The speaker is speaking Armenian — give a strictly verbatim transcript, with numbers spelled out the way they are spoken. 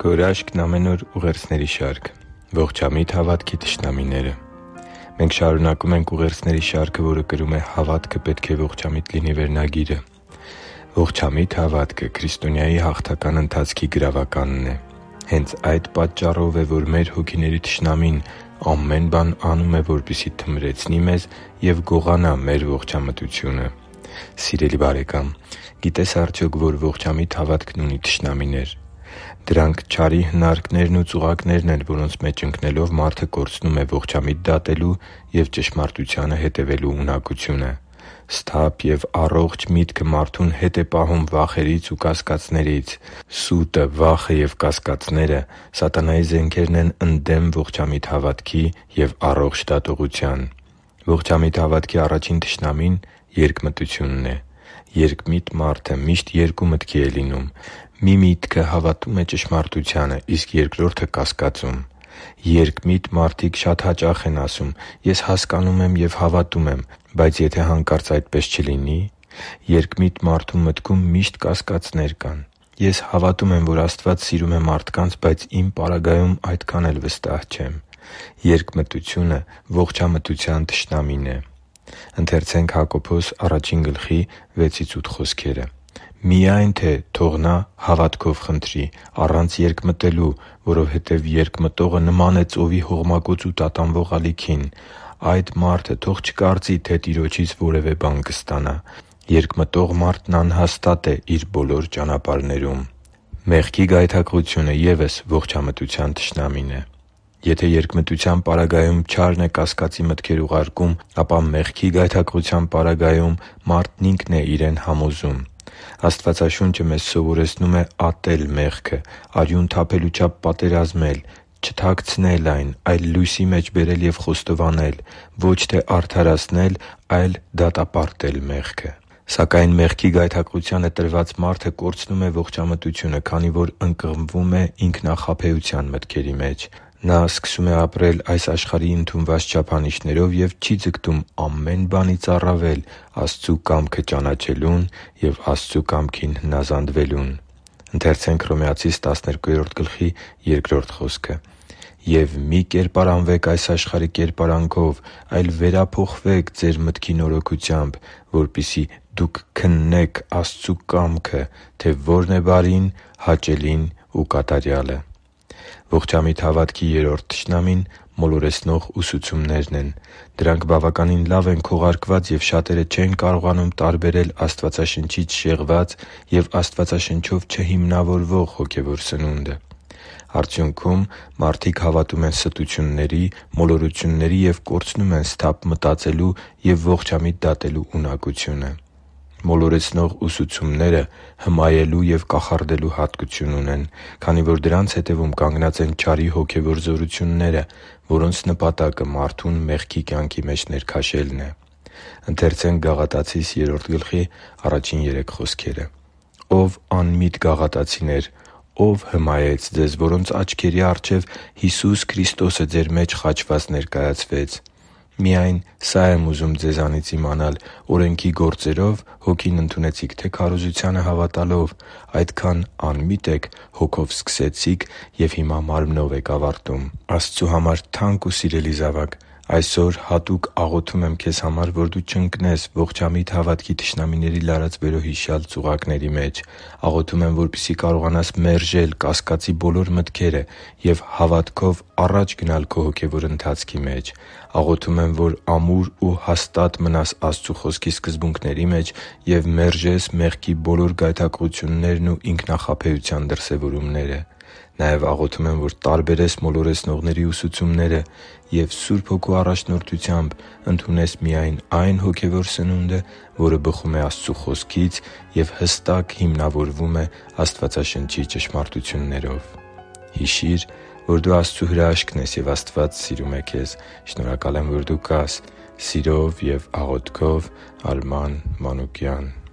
Քո հրաշքն ամեն օր ուղերձների շարք։ Ողջամիտ հավատքի թշնամիները։ Մենք շարունակում ենք ուղերձների շարքը, որը կրում է «Հավատքը պետք է ողջամիտ լինի» վերնագիրը։ Ողջամիտ հավատքը քրիստոնյայի հաղթական ընթացքի գրավականն է։ Հենց այդ պատճառով է, որ մեր հոգիների թշնամին ամեն բան անում է, որպեսզի թմրեցնի մեզ և գողանա մեր ողջամտությունը։ Սիրելի՛ բարեկամ, գիտե՞ս արդյոք, որ ողջամիտ հավատքն ունի թշնամիներ։ Դրանք չարի հնարքներն ու ծուղակներն են, որոնց մեջ ընկնելով մարդը կորցնում է ողջամիտ դատելու և ճշմարտությանը հետևելու ունակությունը։ Սթափ և առողջ միտքը մարդուն հետ է պահում վախերից ու կասկածներից։ Սուտը, վախը և կասկածները սատանայի զենքերն են ընդդեմ ողջամիտ հավատքի և առողջ դատողության։ Ողջամիտ հավատքի առաջին թշնամին երկմտությունն է։ Երկմիտ մարդը միշտ երկու մտքի է լինում։ Մի միտքը հավատում է ճշմարտությանը, իսկ երկրորդը՝ կասկածում։ Երկմիտ մարդիկ շատ հաճախ են ասում. «Ես հասկանում եմ և հավատում եմ», բայց եթե հանկարծ այդպես չլինի։ Երկմիտ մարդու մտքում միշտ կասկածներ կան։ «Ես հավատում եմ, որ Աստված սիրում է մարդկանց, բայց իմ պարագայում այդքան էլ վստահ չեմ»։ Երկմտությունը ողջամտության թշնամին է։ «Միայն թե թող նա հավատքով խնդրի, առանց երկմտելու, որովհետև երկմտողը նման է ծովի հողմակոծ ու տատանվող ալիքին. այդ մարդը թող չկարծի, թե Տիրոջից որևէ բան կստանա։ Երկմտող մարդն անհաստատ է իր բոլոր ճանապարհներում» (Հակոբոս առաջին գլխի վեցից ութ խոսքերը)։ Մեղքի գայթակղությունը ևս ողջամտության թշնամին է։ Եթե երկմտության պարագայում չարն է կասկածի մտքեր ուղարկում, ապա մեղքի գայթակղության պարագայում մարդն ինքն է իրեն համոզում։ Աստվածաշունչը մեզ սովորեցնում է ատել մեղքը, արյուն թափելու չափ պատերազմել, չթաքցնել այն, այլ լույսի մեջ բերել և խոստովանել, ոչ թե արդարացնել, այլ դատապարտել մեղքը։ Սակայն մեղքի գայթակղությանը տրված մարդը կորցնում է ողջամտությունը, քանի որ ընկղմվում է ինքնախաբեության մտքերի մեջ։ Նա սկսում է ապրել այս աշխարհի ընդունված չափանիշներով և չի ձգտում ամեն բանից առավել Աստծու կամքը ճանաչելուն և Աստծու կամքին հնազանդվելուն։ «Եվ մի՛ կերպարանվեք այս աշխարհի կերպարանքով, այլ վերափոխվե՛ք ձեր մտքի նորոգությամբ, որպեսզի դուք քննեք Աստծու կամքը, թե ո՛րն է բարին, հաճելին ու կատարյալը» (Հռոմեացիս տասներկու կողմը)։ Ողջամիտ հավատքի երրորդ թշնամին մոլորեցնող ուսուցումներն են։ Դրանք բավականին լավ են քողարկված, և շատերը չեն կարողանում տարբերել Աստվածաշնչից շեղված և Աստվածաշնչով չհիմնավորվող հոգևոր սնունդը։ Արդյունքում մարդիկ հավատում են ստությունների, մոլորությունների և կորցնում են սթափ մտածելու և ողջամիտ դատելու ունակությունը։ Մոլորեցնող ուսուցումները հմայելու և կախարդելու հատկություն ունեն, քանի որ դրանց հետևում կանգնած են չարի հոգևոր զորությունները, որոնց նպատակը մարդուն մեղքի կյանքի մեջ ներքաշելն է։ «Ո՛վ անմիտ գաղատացիներ, ո՞վ հմայեց ձեզ, որոնց աչքերի առջև Հիսուս Քրիստոսը ձեր մեջ խաչված ներկայացվեց։ Միայն սա եմ ուզում ձեզանից իմանալ. օրենքի գործերո՞վ Հոգին ընդունեցիք, թե քարոզությանը հավատալով։ Այդքան անմի՞տ եք, հոգով սկսեցիք և հիմա մարմնով եք ավարտում» (Գաղատացիս երրորդ գլխի առաջին երեք խոսքերը)։ Աստծու համար թանկ ու սիրելի՛ զավակ, այսօր հատուկ աղոթում եմ քեզ համար, որ դու չընկնես ողջամիտ հավատքի թշնամիների լարած բերոհիշյալ ծուղակների մեջ։ Աղոթում եմ, որպեսզի կարողանաս մերժել կասկածի բոլոր մտքերը և հավատքով առաջ գնալ քո հոգևոր ընթացքի մեջ։ Աղոթում եմ, որ ամուր ու հաստատ մնաս Աստծու Խոսքի սկզբունքների մեջ և մերժես մեղքի բոլոր գայթակղություններն ու ինքնախաբեության դրսևորումները։ Նաև աղոթում եմ, որ տարբերես մոլորեցնողների ուսուցումները և Սուրբ Հոգու առաջնորդությամբ ընդունես միայն այն հոգևոր սնունդը, որը բխում է Աստծու Խոսքից և հստակ հիմնավորվում է Աստվածաշնչի ճշմարտություններով։ Հիշի՛ր, որ դու Աստծո հրաշքն ես, և Աստված սիրում է քեզ։ Շնորհակալ եմ, որ դու կա՛ս։ Սիրով և աղոթքով, Արման Մանուկյան։